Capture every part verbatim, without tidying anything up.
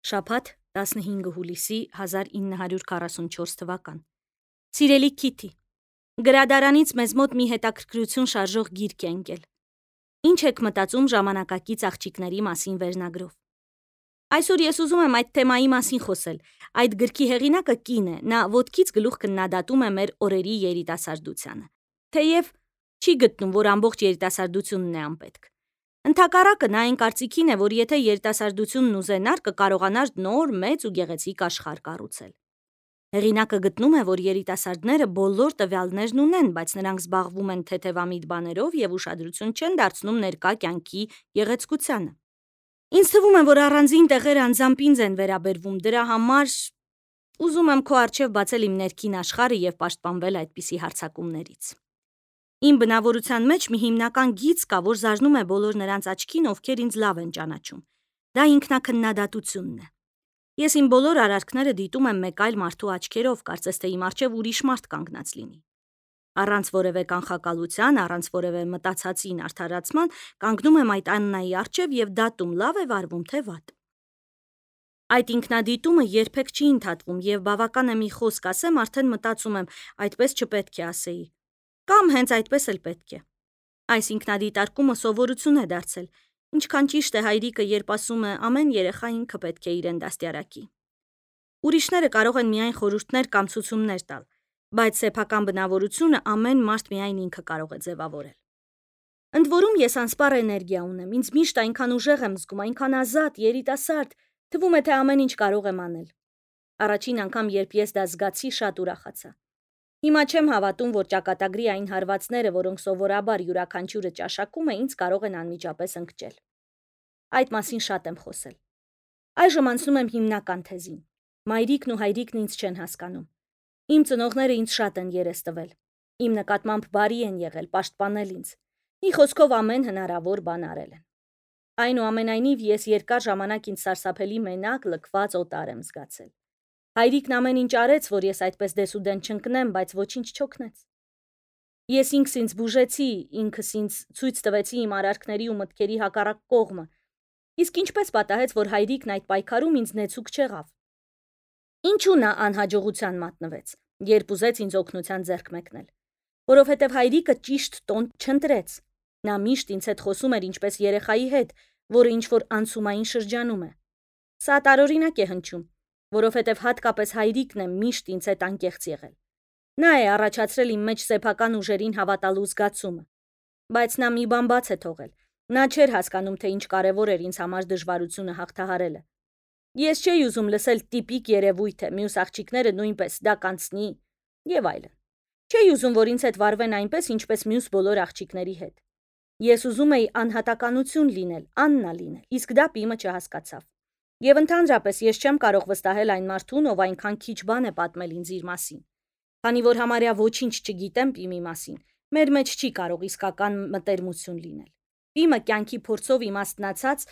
Շաբաթ տասնհինգ հուլիսի հազար ինը հարյուր քառասունչորս թվական։ Սիրելի Քիթի, գրադարանից մեզ մոտ մի հետաքրքրություն շարժող գիրք է ընկել։ Ինչ եք մտածում ժամանակակից աղջիկների մասին վերնագրով։ Այսօր ես ուզում եմ այդ թեմայի մասին խոսել։ Այդ գրքի հեղինակը կին է, նա ոտքից գլուխ քննադատում է մեր օրերի երիտասարդությանը։ Թեև չի գտնում, որ ամբողջ երիտասարդությունն է անպետք։ Ընդհակառակը նա այն կարծիքին է, որ եթե երիտասարդությունն ուզենար, կկարողանար նոր, մեծ ու գեղեցիկ աշխարհ կառուցել։ Հեղինակը գտնում է, որ երիտասարդները բոլոր տվյալներն ունեն, բայց նրանք զբաղվում են թեթևամիտ բաներով եւ ուշադրություն չեն դարձնում ներկա կյանքի գեղեցկությանը։ Ինձ թվում է, որ առանձին տեղերը անձամբ ինձ են վերաբերվում, դրա համար ուզում եմ քո առջև բացել իմ ներքին աշխարհը եւ պաշտպանվել այդպիսի հարձակումներից։ Իմ բնավորության մեջ մի հիմնական գիծ կա, որ զարնում է բոլոր նրանց աչքին, ովքեր ինձ լավ են ճանաչում։ Դա ինքնակննադատությունն է։ Ես իմ բոլոր արարքները դիտում եմ մեկ այլ մարդու աչքերով, կարծես թե իմ առջև ուրիշ մարդ կանգնած լինի։ Առանց որևէ կանխակալության, առանց որևէ մտածածին արդարացման, կանգնում եմ այդ Աննայի առջև եւ դատում լավ է վարվում, թե վատ։ Այդ ինքնադիտումը երբեք չի ընդհատվում եւ բավական է մի խոսք ասեմ, արդեն մտածում եմ, այդպես չպետք է ասեի։ Կամ հենց այդպես էլ պետք է։ Այս ինքնադիտարկումը սովորություն է դարձել, ինչքան ճիշտ է հայրիկը, երբ ասում է ամեն երեխա ինքը պետք է իրեն դաստիարակի։ Ուրիշները կարող են միայն խորհուրդներ կամ ցուցումներ տալ, բայց սեփական բնավորությունը ամեն մարդ միայն ինքը կարող է ձևավորել։ Ընդ որում ես անսպառ էներգիա ունեմ, ինձ միշտ այնքան ուժեղ եմ զգում, այնքան ազատ, երիտասարդ, թվում է թե ամեն ինչ կարող եմ անել։ Առաջին անգամ, երբ ես դա զգացի, շատ ուրախացա։ Հիմա չեմ հավատում, որ ճակատագրի այն հարվածները, որոնք սովորաբար յուրաքանչյուրը ճաշակում է, ինձ կարող են անմիջապես ընկճել։ Այդ մասին շատ եմ խոսել։ Այժմ անցնում եմ հիմնական թեզին։ Մայրիկն ու հայրիկն ինձ չեն հասկանում։ Իմ ծնողները ինձ շատ են երես տվել։ Իմ նկատմամբ բարի են եղել, պաշտպանել ինձ։ Մի խոսքով ամեն հնարավոր բան արել են։ Այնուամենայնիվ ես երկար ժամանակ ինձ սարսափելի մենակ, լքված օտար եմ զգացել։ Հայրիկն ամեն ինչ արեց, որ ես այդպես դեսուդեն չընկնեմ, բայց ոչինչ չօգնեց։ Ես ինքս ինձ բուժեցի, ինքս ինձ ցույց տվեցի իմ արարքների ու մտքերի հակառակ կողմը։ Իսկ ինչպես պատահեց, որ հայրիկն այդ պայքարում ինձ նեցուկ չեղավ։ Ինչու նա անհաջողության մատնվեց, երբ ուզեց ինձ օգնության ձեռք մեկնել։ Որովհետև հայրիկը ճիշտ տոն չընտրեց։ Նա միշտ ինձ հետ խոսում էր ինչպես երեխայի հետ, որը ինչ-որ անցումային շրջանում է։ Սա տարօրինակ է հնչում, որովհետև հատկապես հայրիկն է միշտ ինձ հետ անկեղծ եղել։ Նա է առաջացրել իմ մեջ սեփական ուժերին հավատալու զգացումը։ Բայց նա մի բան բաց է թողել։ Նա չէր հասկանում, թե ինչ կարևոր էր ինձ համար դժվարությունը հաղթահարելը։ Ես չէի ուզում լսել տիպիկ երևույթ է, մյուս աղջիկները նույնպես դա կանցնի եւ այլն։ Չէի ուզում, որ ինձ հետ վարվեն այնպես, ինչպես մյուս բոլոր աղջիկների հետ։ Ես ուզում էի անհատականություն լինել, Աննա լինել, իսկ դա Պիմը չհասկացավ։ Եվ ընդհանրապես ես չեմ կարող վստահել այն մարդուն, ով այնքան քիչ բան է պատմել ինձ իր մասին։ Քանի որ համարյա ոչինչ չգիտեմ Պիմի մասին, մեր մեջ չի կարող իսկական մտերմություն լինել։ Պիմը կյանքի փորձով իմաստնացած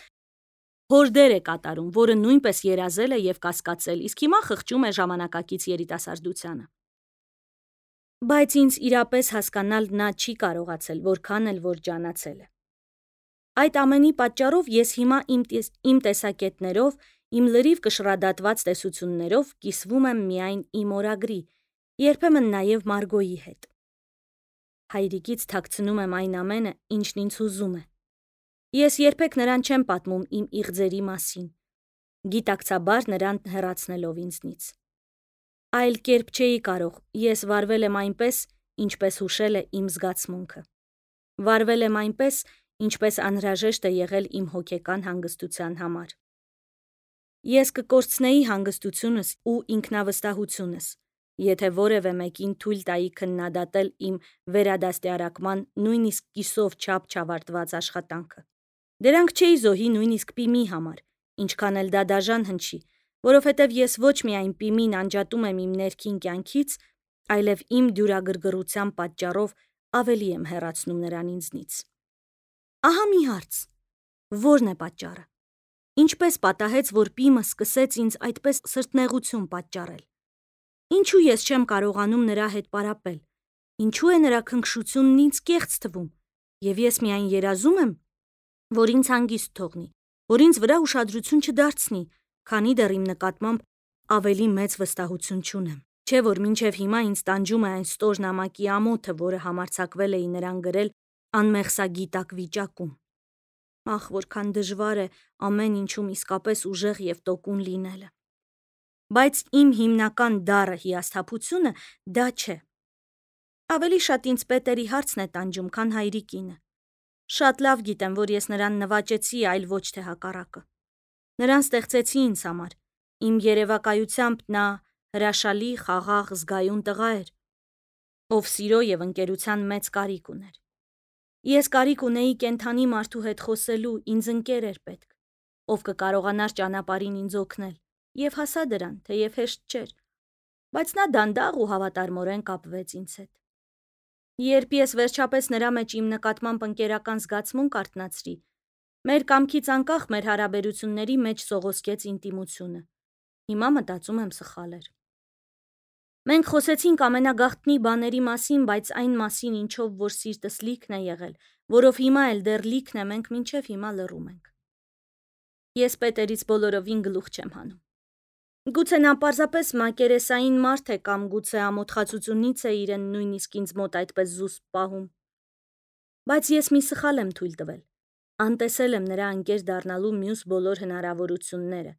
հորդեր է կատարում, որը նույնպես երազել է եւ կասկածել, իսկ հիմա խղճում է ժամանակակից երիտասարդությանը։ Բայց ինձ իրապես հասկանալ նա չի կարողացել, որքան էլ որ ջանացել է։ Այդ ամենի պատճառով ես հիմա իմ, տես, իմ տեսակետներով, իմ լրիվ կշռադատված տեսություններով կիսվում եմ միայն իմ օրագրի, երբեմն նաև Մարգոյի հետ։ Հայրիկից թաքցնում եմ այն ամենը, ինչն ինձ հուզում է։ Ես երբեք նրան չեմ պատմում իմ իղձերի մասին, գիտակցաբար նրան հեռացնելով ինձնից։ Այլ կերպ չէի կարող, ես վարվել եմ այնպես, ինչպես հուշել է իմ զգացմունքը։ Վարվել եմ այնպես, ինչպես անհրաժեշտ է եղել իմ հոգեկան հանգստության համար։ Ես կկորցնեի հանգստությունս ու ինքնավստահությունս, եթե որևէ մեկին թույլ տայի քննադատել իմ վերադաստիարակման նույնիսկ կիսով չափ չավարտված աշխատանքը։ Դրանք չէի զոհի նույնիսկ Պիմի համար, ինչքան էլ դա դաժան հնչի, որովհետև ես ոչ միայն Պիմին անջատում եմ իմ ներքին կյանքից, այլև իմ դյուրագրգռության պատճառով ավելի եմ հեռացնում նրան ինձնից։ Ահա մի հարց. ո՞րն է պատճառը։ Ինչպես պատահեց, որ Պիմը սկսեց ինձ այդպես սրտնեղություն պատճառել։ Ինչու ես չեմ կարողանում նրա հետ պարապել։ Ինչու է նրա քնքշությունն ինձ կեղծ թվում, եւ ես միայն երազում եմ, որ ինձ հանգիստ թողնի, որ ինձ վրա ուշադրություն չդարձնի, քանի դեռ իմ նկատմամբ ավելի մեծ վստահություն չունեմ։ Չէ որ մինչև հիմա ինձ տանջում է այն ստոր նամակի ամոթը, որը համարձակվել էի նրան գրել անմեղսագիտակ վիճակում։ Ախ, որքան դժվար է ամեն ինչում իսկապես ուժեղ և տոկուն լինելը։ Բայց իմ հիմնական դառը հիասթափությունը դա չէ։ Ավելի շատ ինձ Պետերի հարցն է տանջում, քան հայրիկինը։ Շատ լավ գիտեմ, որ ես նրան նվաճեցի, այլ ոչ թե հակառակը։ Նրան ստեղծեցի ինձ համար։ Իմ երևակայությամբ նա հրաշալի, խաղաղ, զգայուն տղա էր, ով սիրո և ընկերության մեծ կարիք ուներ։ Ես կարիք ունեի կենդանի մարդու հետ խոսելու, ինձ ընկեր էր պետք, ով կկարողանար ճանապարհին ինձ օգնել, և հասա դրան, թեև հեշտ չէր, բայց նա դանդաղ ու հավատարմորեն կապվեց ինձ հետ։ Երբ ես վերջապես նրա մեջ իմ նկատմամբ ընկերական զգացմունք արթնացրի, մեր կամքից անկախ մեր հարաբերությունների մեջ սողոսկեց ինտիմությունը։ Հիմա մտածում եմ սխալ էր։ Մենք խոսեցինք ամենագաղտնի բաների մասին, բայց այն մասին, ինչով որ սիրտս լիքն է եղել, որով հիմա էլ դեռ լիքն է, մենք մինչև հիմա լռում ենք։ Ես Պետերից բոլորովին գլուխ չեմ հանում։ Գուցե նա պարզապես մակերեսային մարդ է կամ գուցե ամոթխածությունից է իրեն նույնիսկ ինձ մոտ այդպես զուսպ պահում։ Բայց ես մի սխալ եմ թույլ տվել։ Անտեսել եմ նրա ընկեր դառնալու մյուս բոլոր հնարավորությունները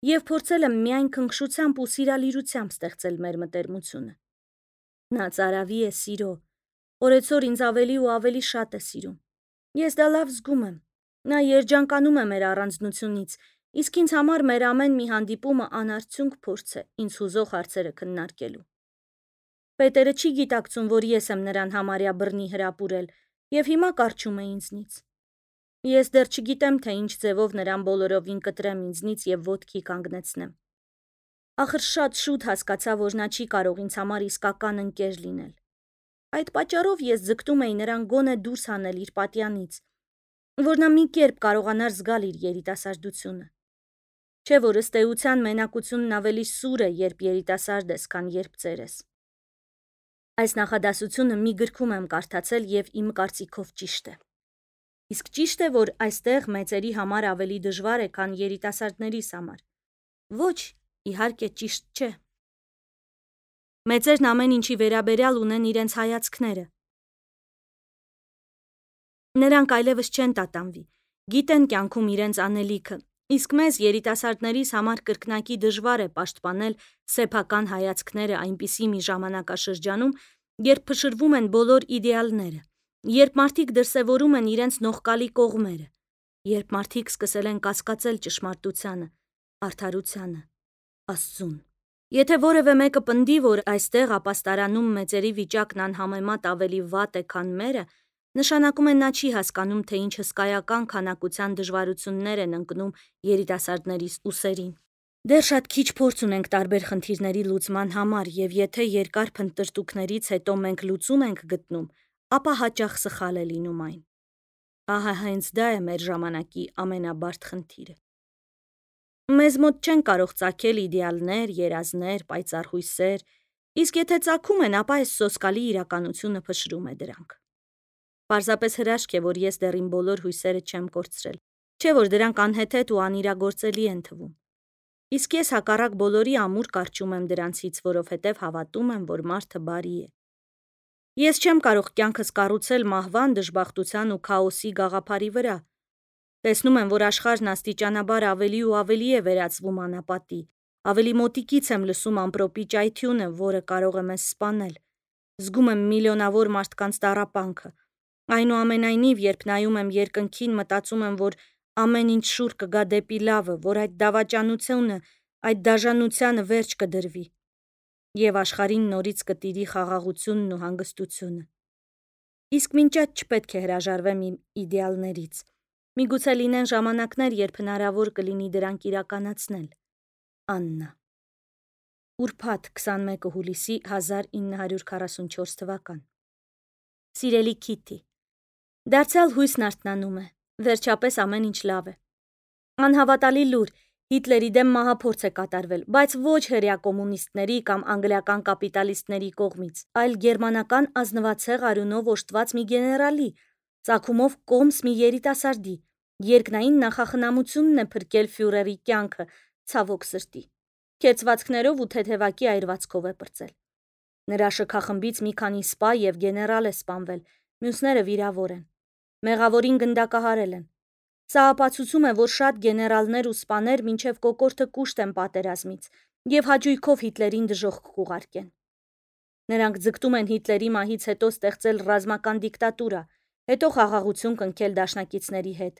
և փորձել եմ միայն քնքշությամբ ու սիրալիրությամբ ստեղծել մեր մտերմությունը։ Նա ծարավի է սիրո, օրեցօր ինձ ավելի ու ավելի շատ է սիրում։ Ես դա լավ զգում եմ։ Նա երջանկանում է մեր առանձնությունից, իսկ ինձ համար մեր ամեն մի հանդիպումը անարդյունք փորձ է ինձ հուզող հարցերը քննարկելու։ Պետերը չի գիտակցում, որ ես եմ նրան համարյա բռնի հրապուրել և հիմա կառչում է ինձնից։ Ես դեռ չգիտեմ, թե ինչ ձևով նրան բոլորովին կտրեմ ինձնից և ոտքի կանգնեցնեմ։ Ախր շատ շուտ հասկացա, որ նա չի կարող ինձ համար իսկական ընկեր լինել։ Այդ պատճառով ես ձգտում էի նրան գոնե դուրս հանել իր պատյանից, որ նա մի կերպ կարողանար զգալ իր երիտասարդությունը։ Չէ որ ըստ էության մենակությունն ավելի սուր է, երբ երիտասարդ ես, քան երբ ծեր ես։ Այս նախադասությունը մի գրքում եմ կարդացել և իմ կարծիքով ճիշտ է։ Իսկ ճիշտ է, որ այստեղ մեծերի համար ավելի դժվար է, քան երիտասարդներիս համար։ Ոչ, իհարկե ճիշտ չէ։ Մեծերն ամեն ինչի վերաբերյալ ունեն իրենց հայացքները։ Նրանք այլևս չեն տատանվի, գիտեն կյանքում իրենց անելիքը, իսկ մեզ երիտասարդներիս համար կրկնակի դժվար է պաշտպանել սեփական հայացքները այնպիսի մի ժամանակաշրջանում, երբ փշրվում են բոլոր իդեալները, երբ մարդիկ դրսևորում են իրենց նողկալի կողմերը, երբ մարդիկ սկսել են կասկածել ճշմարտությանը, արդարությանը, Աստծուն։ Եթե որևէ մեկը պնդի, որ այստեղ ապաստարանում մեծերի վիճակն անհամեմատ ավելի վատ է, քան մերը, նշանակում է նա չի հասկանում, թե ինչ հսկայական քանակության դժվարություններ են ընկնում երիտասարդներիս ուսերին։ Դեռ շատ քիչ փորձ ունենք տարբեր խնդիրների լուծման համար, և եթե երկար փնտրտուքներից հետո մենք լուծում ենք գտնում, ապա հաճախ սխալ է լինում այն։ Ահա հենց դա է մեր ժամանակի ամենաբարդ խնդիրը։ Մեզ մոտ չեն կարող ծագել իդեալներ, երազներ, պայծառ հույսեր, իսկ եթե ծագում են, ապա այս սոսկալի իրականությունը փշրում է դրանք։ Պարզապես հրաշք է, որ ես դեռ իմ բոլոր հույսերը չեմ կորցրել, չէ որ դրանք անհեթեթ ու անիրագործելի են թվում։ Իսկ ես հակառակ բոլորի ամուր կառչում եմ դրանցից, որովհետև հավատում եմ, որ մարդը բարի է։ Ես չեմ կարող կյանքս կառուցել մահվան, դժբախտության ու քաոսի գաղափարի վրա։ Տեսնում եմ, որ աշխարհն աստիճանաբար ավելի ու ավելի է վերածվում անապատի, ավելի մոտիկից եմ լսում ամպրոպի ճայթյունը, որը կարող է մեզ սպանել։ Զգում եմ միլիոնավոր մարդկանց տառապանքը։ Այնուամենայնիվ, երբ նայում եմ երկնքին, մտածում եմ, որ ամեն ինչ շուռ կգա դեպի լավը, որ այդ դավաճանությունը, այդ դաժանությանը վերջ կդրվի, և աշխարհին նորից կտիրի խաղաղությունն ու հանգստությունը։ Իսկ մինչ այդ չպետք է հրաժարվեմ իմ իդեալներից։ Միգուցե լինեն ժամանակներ, երբ հնարավոր կլինի դրանք իրականացնել։ Աննա։ Ուրբաթ քսանմեկը հուլիսի հազար ինը հարյուր քառասունչորս թվական։ Սիրելի Քիթի, դարձյալ հույսն արթնանում է, վերջապես ամեն ինչ լավ է։ Անհավատալի լուր, Հիտլերի դեմ մահափորձ է կատարվել, բայց ոչ հրեա կոմունիստների կամ անգլիական կապիտալիստների կողմից, այլ գերմանական ազնվացեղ արյունով օժտված մի գեներալի, ծագումով կոմս մի երիտասարդի, երկնային նախախնամությունն է փրկել ֆյուրերի կյանքը, ցավոք սրտի, քերծվածքներով ու թեթևակի այրվածքով է պրծել։ Նրա շքախմբից մի քանի սպա եւ գեներալ է սպանվել, մյուսները վիրավոր են։ Մեղավորին գնդակահարել են։ Սա ապացուցում է, որ շատ գեներալներ ու սպաներ մինչև կոկորդը կուշտ են պատերազմից եւ հաճույքով Հիտլերին դժոխք կուղարկեն։ Նրանք ձգտում են Հիտլերի մահից հետո ստեղծել ռազմական դիկտատուրա, հետո խաղաղություն կնքել դաշնակիցների հետ,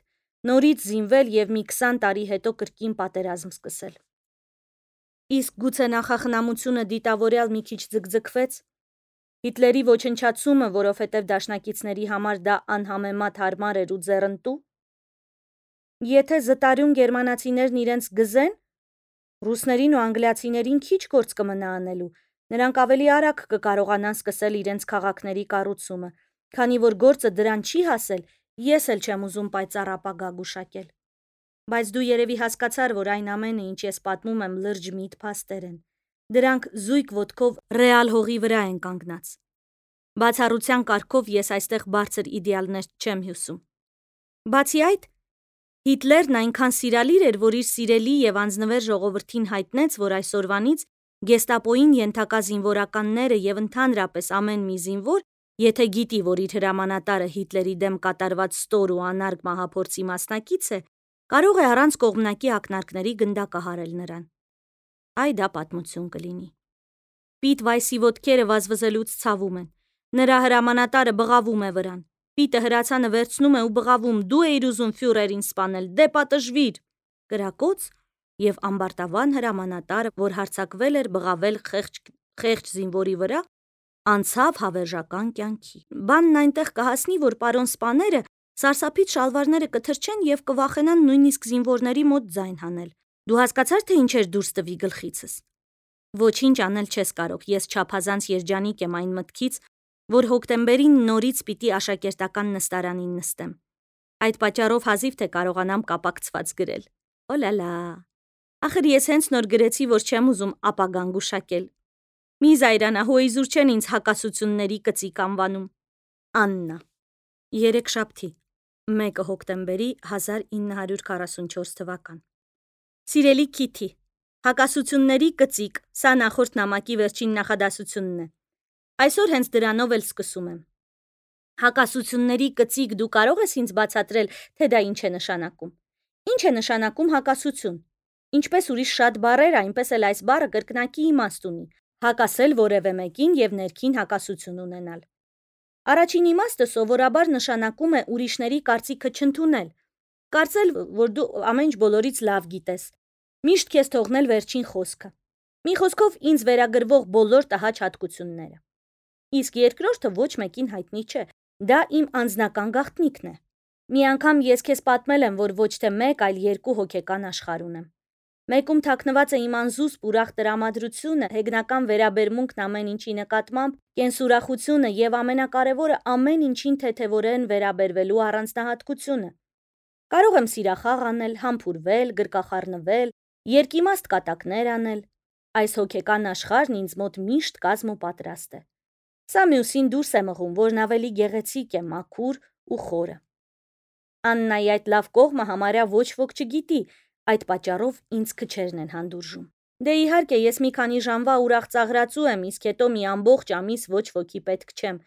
նորից զինվել եւ մի քսան տարի հետո կրկին պատերազմ սկսել։ Իսկ գուցե նախախնամությունը դիտավորյալ մի քիչ ձգձգվեց։ Հիտլերի ոչնչացումը, որովհետև դաշնակիցների համար դա անհամեմատ հարմար էր ու ձեռնտու։ Եթե զտարյուն գերմանացիներն իրենց գզեն, ռուսներին ու անգլիացիներին քիչ գործ կմնա անելու, նրանք ավելի արագ կկարողանան սկսել իրենց քաղաքների կառուցումը, քանի որ գործը դրան չի հասել, ես էլ չեմ ուզում պայծառ ապագա գուշակել։ Բայց դու երևի հասկացար, որ այն ամենը, ինչ ես պատմում եմ, լրջջ միտ փաստեր են։ Դրանք զույգ ոտքով ռեալ հողի վրա են կանգնած։ Բացառության կարգով ես այստեղ բարձր իդեալներ չեմ հյուսում։ Բացի այդ, Հիտլերն այնքան սիրալիր էր, որ իր սիրելի եւ անձնվեր ժողովրդին հայտնեց, որ այսօրվանից գեստապոյին ենթակա զինվորականները եւ ընդհանրապես ամեն մի զինվոր, եթե գիտի, որ իր հրամանատարը Հիտլերի դեմ կատարված ստոր ու անարգ մահափորձի մասնակից է, կարող է առանց կողմնակի ակնարկների գնդակահարել նրան։ Այ դա պատմություն կլինի։ Պիտ Վայսի ոտքերը վազվզելուց ցավում են։ Նրա հրամանատարը բղավում է վրան։ Պիտը հրացանը վերցնում է ու բղավում. «Դու էիր ուզում ֆյուրերին սպանել, դե պատժվիր»։ Կրակոց եւ ամբարտավան հրամանատարը, որ հարձակվել էր բղավել խեղճ, խեղճ զինվորի վրա, անցավ հավերժական կյանքի։ Բանն այնտեղ կհասնի, որ պարոն սպաները սարսափից շալվարները կթրջեն եւ կվախենան նույնիսկ զինվորների մոտ ձայն հանել։ Դու հասկացար, թե ինչ էր դուրս տվի գլխիցս։ Ոչինչ անել չես կարող, ես չափազանց երջանիկ եմ այն մտքից, որ հոկտեմբերին նորից պիտի աշակերտական նստարանին նստեմ։ Այդ պատճառով հազիվ թե կարողանամ կապակցված գրել։ Օլալա։ Ախր ես հենց նոր գրեցի, որ չեմ ուզում ապագան գուշակել։ Մի զայրանա, հոիզուր չեն ինձ հակասությունների կծիկ անվանում։ Աննա։ Երեքշաբթի, մեկը հոկտեմբերի հազար ինը հարյուր քառասունչորս թվական։ Սիրելի Քիթի, հակասությունների կծիկ, սա նախորդ նամակի վերջին նախադասությունն է։ Այսօր հենց դրանով էլ սկսում եմ։ Հակասությունների կծիկ, դու կարող ես ինձ բացատրել, թե դա ինչ է նշանակում։ Ինչ է նշանակում հակասություն։ Ինչպես ուրիշ շատ բառեր, այնպես էլ այս բառը կրկնակի իմաստ ունի։ Հակասել որևէ մեկին եւ ներքին հակասություն ունենալ։ Առաջին իմաստը սովորաբար նշանակում է ուրիշների կարծիքը չընդունել։ Կարծել, որ դու ամեն ինչ բոլորից լավ գիտես։ Միշտ քեզ թողնել վերջին խոսքը։ Մի խոսքով ինձ վերագրվող բոլոր տհաճ հատկությունները։ Իսկ երկրորդը ոչ մեկին հայտնի չէ։ Դա իմ անձնական գաղտնիքն է։ Մի անգամ ես քեզ պատմել եմ, որ ոչ թե մեկ, այլ երկու հոգեկան աշխարհ ունեմ։ Մեկում թաքնված է իմ անզուսպ ուրախ տրամադրությունը, հեգնական վերաբերմունքն ամեն ինչի նկատմամբ, կենսուրախությունը եւ ամենակարևորը ամեն ինչին թեթեվորեն վերաբերվելու առանձնահատկությունը։ Կարող եմ սիրախաղ անել, համբուրվել, գրկախառնվել, երկիմաստ կատակներ անել։ Այս հոգեկան աշխարհն ինձ մոտ միշտ կազմ ու պատրաստ է։ Սա մյուսին դուրս է մղում, որն ավելի գեղեցիկ է, մաքուր ու խորը։ Աննայի այդ լավ կողմը համարյա ոչ ոք չգիտի, այդ պատճառով ինձ քչերն են հանդուրժում։ Դե իհարկե, ես մի քանի ժամվա ուրախ ծաղրածու եմ, իսկ հետո մի ամբողջ ամիս ոչ ոքի պետք չեմ։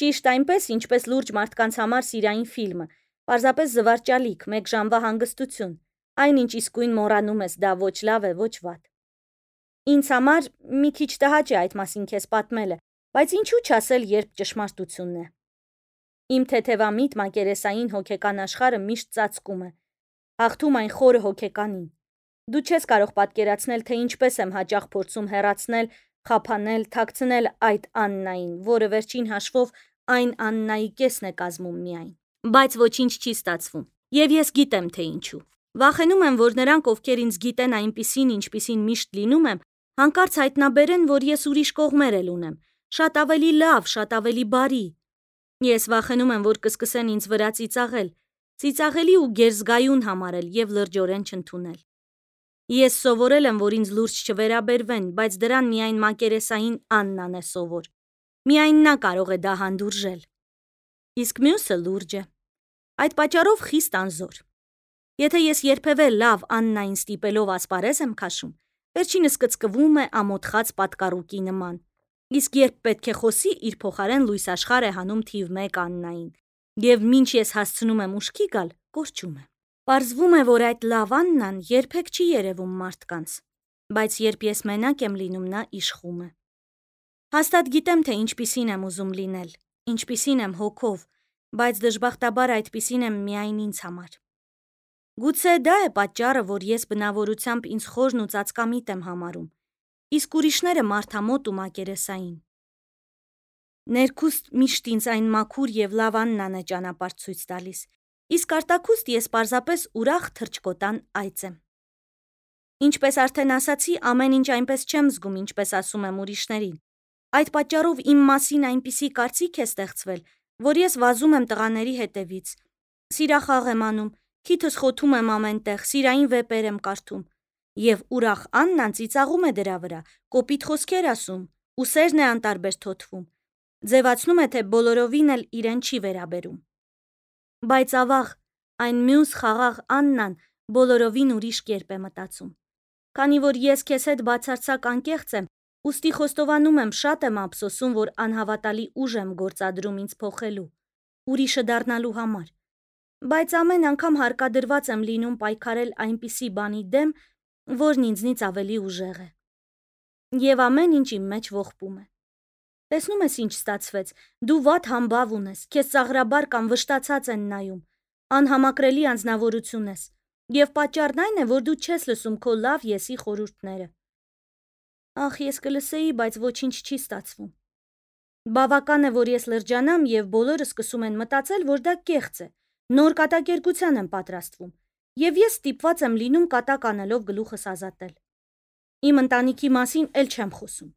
Ճիշտ այնպես, ինչպես լուրջ մարդկանց համար սիրային ֆիլմը, պարզապես զվարճալիք, մեկ ժամվա հանգստություն։ Այնինչ իսկույն մոռանում ես, դա ոչ լավ է, ոչ վատ։ Ինձ համար մի քիչ տհաճ է այդ մասին քեզ պատմելը, բայց ինչու չասել, երբ ճշմարտությունն է։ Իմ թեթևամիտ մակերեսային հոգեկան աշխարհը միշտ ծածկում է, հաղթում այն խորը հոգեկանին։ Դու չես կարող պատկերացնել, թե ինչպես եմ հաճախ փորձում հեռացնել, խափանել, թաքցնել այդ Աննային, որը վերջին հաշվով այն Աննայի կեսն է կազմում միայն։ Բայց ոչինչ չի ստացվում։ Եվ ես գիտեմ, թե ինչու։ Վախենում եմ, որ նրանք, ովքեր ինձ գիտեն այնպիսին, ինչպիսին միշտ լինում եմ, հանկարծ հայտնաբերեն, որ ես ուրիշ կողմեր էլ ունեմ, շատ ավելի լավ, շատ ավելի բարի։ Ես վախենում եմ, որ կսկսեն ինձ վրա ծիծաղել, ծիծաղելի ու գերզգայուն համարել եւ լրջորեն չընդունել։ Ես սովորել եմ, որ ինձ լուրջ չվերաբերվեն, բայց դրան միայն մակերեսային Աննան է սովոր։ Միայն նա կարող է դա հանդուրժել։ Իսկ մյուսը լուրջ է։ Այդ պատճառով խիստ անզոր։ Եթե ես երբևէ լավ Աննային ստիպելով ասպարեզ եմ քաշում, վերջինս կծկվում է ամոթխած պատկառուկի նման, իսկ երբ պետք է խոսի, իր փոխարեն լույս աշխարհ է հանում թիվ մեկ Աննային, եւ մինչ ես հասցնում եմ ուշքի գալ, կորչում է։ Պարզվում է, որ այդ լավ Աննան երբեք չի երևում մարդկանց, բայց երբ ես մենակ եմ լինում, նա իշխում է։ Հաստատ գիտեմ, թե ինչպիսին եմ ուզում լինել, ինչպիսին եմ հոգով, բայց դժբախտաբար այդպիսին եմ միայն ինձ համար։ Գուցե դա է պատճառը, որ ես բնավորությամբ ինձ խորն ու ծածկամիտ եմ համարում, իսկ ուրիշները մարդամոտ ու մակերեսային։ Ներքուստ միշտ ինձ այն մաքուր եւ լավ Աննան է ճանապարհ ցույց տալիս, իսկ արտաքուստ ես պարզապես ուրախ թռչկոտան այծ եմ։ Ինչպես արդեն ասացի, ամեն ինչ այնպես չեմ զգում, ինչպես ասում եմ ուրիշներին։ Այդ պատճառով իմ մասին այնպիսի կարծիք է ստեղծվել, որ ես վազում եմ տղաների հետևից, սիրախաղ եմ անում, քիթս խոթում եմ ամենտեղ, սիրային վեպեր եմ կարդում, եւ ուրախ Աննան ծիծաղում է դրա վրա, կոպիտ խոսքեր ասում, ուսերն է անտարբեր թոթվում, ձևացնում է, թե բոլորովին էլ իրեն չի վերաբերում։ Բայց ավաղ, այն մյուս խաղաղ Աննան բոլորովին ուրիշ կերպ է մտածում։ Քանի որ ես քեզ հետ բացարձակ անկեղծ եմ, ուստի խոստովանում եմ, շատ եմ ափսոսում, որ անհավատալի ուժ եմ գործադրում ինձ փոխելու, ուրիշը դառնալու համար, բայց ամեն անգամ հարկադրված եմ լինում պայքարել այնպիսի բանի դեմ, որն ինձնից ավելի ուժեղ է։ Եվ ամեն ինչ իմ մեջ ողբում է։ Տեսնում ես ինչ ստացվեց, դու վատ համբավ ունես, քեզ ծաղրաբար կամ վշտացած են նայում, անհամակրելի անձնավորություն ես, եւ պատճառն այն է, որ դու չես լսում քո լավ եսի խորհուրդները։ Ախ, ես կլսեի, բայց ոչինչ չի ստացվում։ Բավական է, որ ես լրջանամ եւ բոլորը սկսում են մտածել, որ դա կեղծ է, նոր կատակերգության եմ պատրաստվում, եւ ես ստիպված եմ լինում կատակ անելով գլուխս ազատել։ Իմ ընտանիքի մասին էլ չեմ խոսում։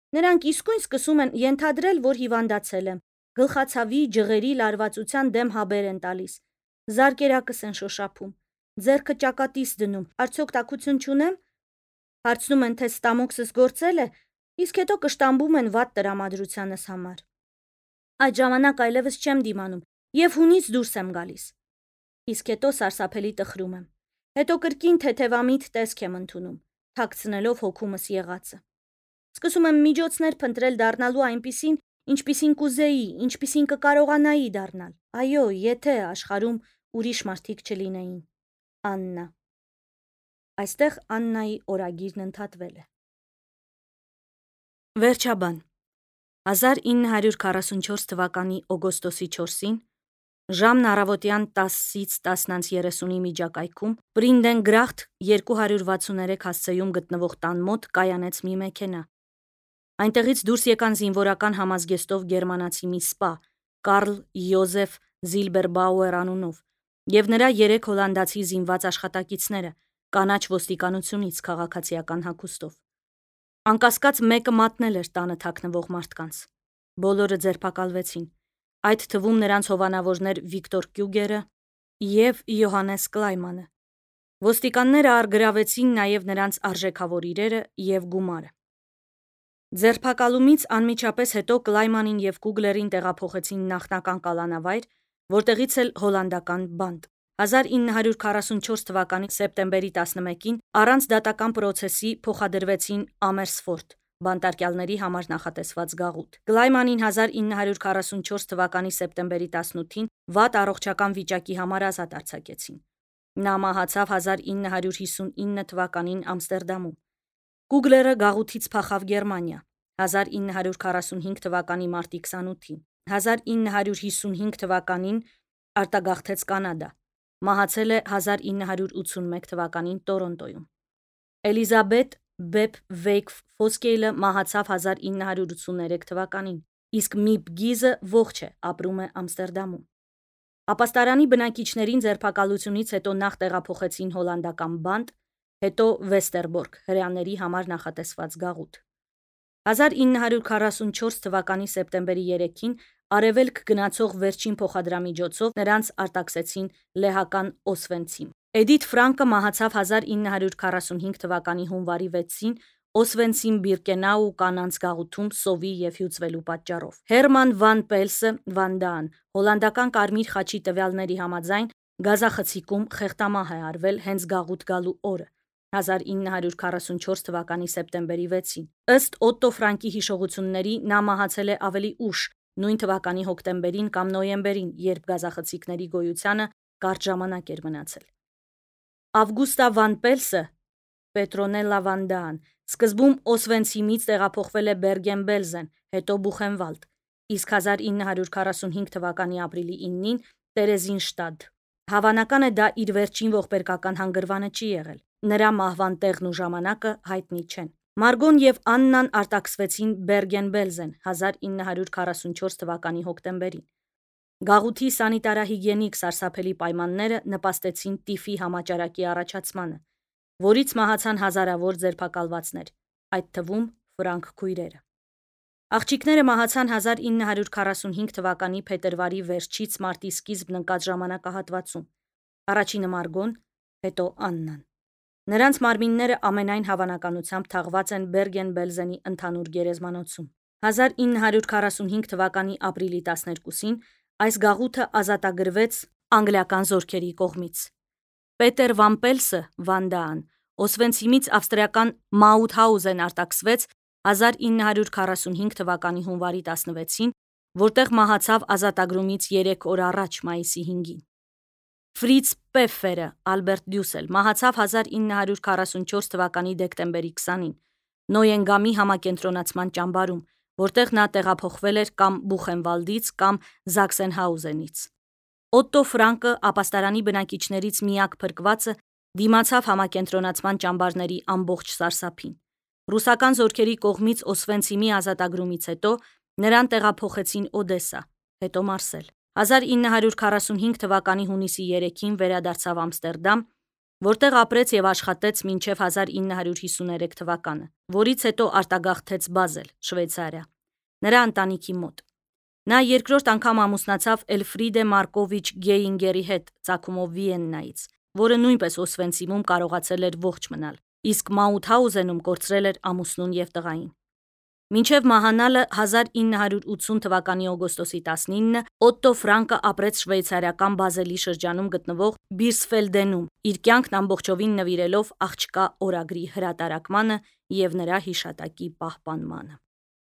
Նրանք իսկույն սկսում են ենթադրել, որ հիվանդացել եմ, գլխացավի, ջղերի լարվածության դեմ հաբեր են տալիս, զարկերակս են շոշափում, ձեռքը ճակատիս դնում, արդյոք տաքություն չունեմ։ Հարցնում են, թե ստամոքսս գործել է, իսկ հետո կշտամբում են վատ տրամադրությանս համար։ Այդ ժամանակ այլևս չեմ դիմանում եւ հունից դուրս եմ գալիս։ Իսկ հետո սարսափելի տխրում եմ։ Հետո կրկին թեթևամիտ տեսք եմ ընդունում, թաքցնելով հոգումս եղածը։ Սկսում եմ միջոցներ փնտրել դառնալու այնպիսին, ինչպիսին կուզեի, ինչպիսին կկարողանայի դառնալ։ Այո, եթե աշխարհում ուրիշ մարդիկ չլինեին։ Աննա։ Այստեղ Աննայի օրագիրն ընդհատվել է։ Վերջաբան հազար ինը հարյուր քառասունչորս թվականի օգոստոսի չորսին ժամն առավոտյան տասից տասնից երեսունի միջակայքում Պրինդենգրախտ երկու հարյուր վաթսուններեք հասցեում գտնվող տան մոտ կայանեց մի մեքենա։ Այնտեղից դուրս եկան զինվորական համազգեստով գերմանացի մի սպա, Կարլ Յոզեֆ Զիլբերբաուեր անունով, եւ նրա երեք հոլանդացի զինված աշխատակիցները, կանաչ ոստիկանությունից քաղաքացիական հագուստով։ Անկասկած մեկը մատնել էր տանը թաքնվող մարդկանց։ Բոլորը ձերբակալվեցին, այդ թվում նրանց հովանավորներ Վիկտոր Կյուգերը եւ Յոհանես Կլայմանը։ Ոստիկանները առգրավեցին նաեւ նրանց արժեքավոր իրերը եւ գումարը։ Ձերբակալումից անմիջապես հետո Կլայմանին եւ Կուգլերին տեղափոխեցին նախնական կալանավայր, որտեղից էլ հոլանդական բանտ։ հազար ինը հարյուր քառասունչորս թվականի սեպտեմբերի տասնմեկին առանց դատական պրոցեսի փոխադրվեցին Ամերսֆորդ, բանտարկյալների համար նախատեսված գաղութ։ Կլայմանին հազար ինը հարյուր քառասունչորս թվականի սեպտեմբերի տասնութին վատ առողջական վիճակի համար ազատ արձակեցին։ Նա մահացավ հազար ինը հարյուր հիսունինը թվականին Ամստերդամում։ Կուգլերը գաղութից փախավ Գերմանիա հազար ինը հարյուր քառասունհինգ թվականի մարտի քսանութին։ հազար ինը հարյուր հիսունհինգ թվականին արտագաղթեց Կանադա։ Մահացել է հազար ինը հարյուր ութսունմեկ թվականին Տորոնտոյում։ Էլիզաբետ Բեփ Վեյք Ֆոսկեյլը մահացավ հազար ինը հարյուր ութսուներեք թվականին, իսկ Միփ Գիզը ողջ է, ապրում է Ամստերդամում։ Ապաստարանի բնակիչներին ձերբակալությունից հետո նախ տեղափոխեցին հոլանդական բանտ, հետո Վեստերբորգ, հրեաների համար նախատեսված գաղութ։ հազար ինը հարյուր քառասունչորս թվականի սեպտեմբերի երեքին արևելք գնացող վերջին փոխադրամիջոցով նրանց արտաքսեցին լեհական Օսվենցիմ։ Էդիթ Ֆրանկը մահացավ հազար ինը հարյուր քառասունհինգ թվականի հունվարի վեցին Օսվենցիմ Բիրկենաու կանանց գաղութում սովի եւ հյուծվելու պատճառով։ Հերման վան Պելսը Վանդան հոլանդական կարմիր խաչի տվյալների համաձայն Գազախցիկում խեղտամահ է արվել հենց գաղութ գալու օրը՝ հազար ինը հարյուր քառասունչորս թվականի սեպտեմբերի վեցին։ Ըստ Օտտո Ֆրանկի հիշողությունների, նա մահացել է ավելի ուշ, նույն թվականի հոկտեմբերին կամ նոյեմբերին, երբ գազախցիկների գոյությանը կարճ ժամանակ էր մնացել։ Ավգուստա Վան Պելսը Պետրոնելլա Վանդան սկզբում Օսվենցիմից տեղափոխվել է Բերգեն-Բելզեն, հետո Բուխենվալդ, իսկ հազար ինը հարյուր քառասունհինգ թվականի ապրիլի իննին Տերեզինշտադ։ Հավանական է դա իր վերջին ողբերգական հանգրվանը չի եղել։ Նրա մահվան տեղն ու ժամանակը հայտնի չեն։ Մարգոն եւ Աննան արտաքսվեցին Բերգեն-Բելզեն հազար ինը հարյուր քառասունչորս թվականի հոկտեմբերին։ Գաղութի սանիտարահիգիենիկ սարսափելի պայմանները նպաստեցին տիֆի համաճարակի առաջացմանը, որից մահացան հազարավոր ձերբակալվածներ, այդ թվում ֆրանկ քույրերը։ Աղջիկները մահացան հազար ինը հարյուր քառասունհինգ թվականի փետրվարի վերջից մարտի սկիզբն ընկած ժամանակահատվածում։ Առաջինը Մարգոն, հետո Աննան։ Նրանց մարմինները ամենայն հավանականությամբ թաղված են Բերգեն-Բելզենի ընդհանուր գերեզմանոցում։ հազար ինը հարյուր քառասունհինգ թվականի ապրիլի տասներկուսին այս գաղութը ազատագրվեց անգլիական զորքերի կողմից։ Պետեր Վան Պելսը Վանդան Օսվենցիմից ավստրիական Մաութհաուզեն արտաքսվեց հազար ինը հարյուր քառասունհինգ թվականի հունվարի տասնվեցին, որտեղ մահացավ ազատագրումից երեք օր առաջ մայիսի հինգին։ Ֆրից Պեֆերը Ալբերտ Դյուսել մահացավ հազար ինը հարյուր քառասունչորս թվականի դեկտեմբերի քսանին Նոյենգամի համակենտրոնացման ճամբարում, որտեղ նա տեղափոխվել էր կամ Բուխենվալդից կամ Զաքսենհաուզենից։ Օտտո Ֆրանկը ապաստարանի բնակիչներից միակ փրկվածը դիմացավ համակենտրոնացման ճամբարների ամբողջ սարսափին։ Ռուսական զորքերի կողմից Օսվենցիմի ազատագրումից հետո նրան տեղափոխեցին Օդեսա, հետո Մարսել։ հազար ինը հարյուր քառասունհինգ թվականի հունիսի երեքին վերադարձավ Ամստերդամ, որտեղ ապրեց եւ աշխատեց մինչև հազար ինը հարյուր հիսուներեք թվականը, որից հետո արտագաղթեց Բազել, Շվեյցարիա, նրա ընտանիքի մոտ։ Նա երկրորդ անգամ ամուսնացավ Էլֆրիդե Մարկովիչ Գեյինգերի հետ ծագումով Վիեննայից, որը նույնպես Օսվենցիմում կարողացել էր ողջ մնալ, իսկ Մաութհաուզենում կորցրել էր ամուսնուն եւ տղային։ Մինչև մահանալը հազար ինը հարյուր ութսուն թվականի օգոստոսի տասնինը Օտտո Ֆրանկը ապրեց շվեյցարիական Բազելի շրջանում գտնվող Բիրսֆելդենում, իր կյանքն ամբողջովին նվիրելով աղջկա օրագրի հրատարակմանը եւ նրա հիշատակի պահպանմանը։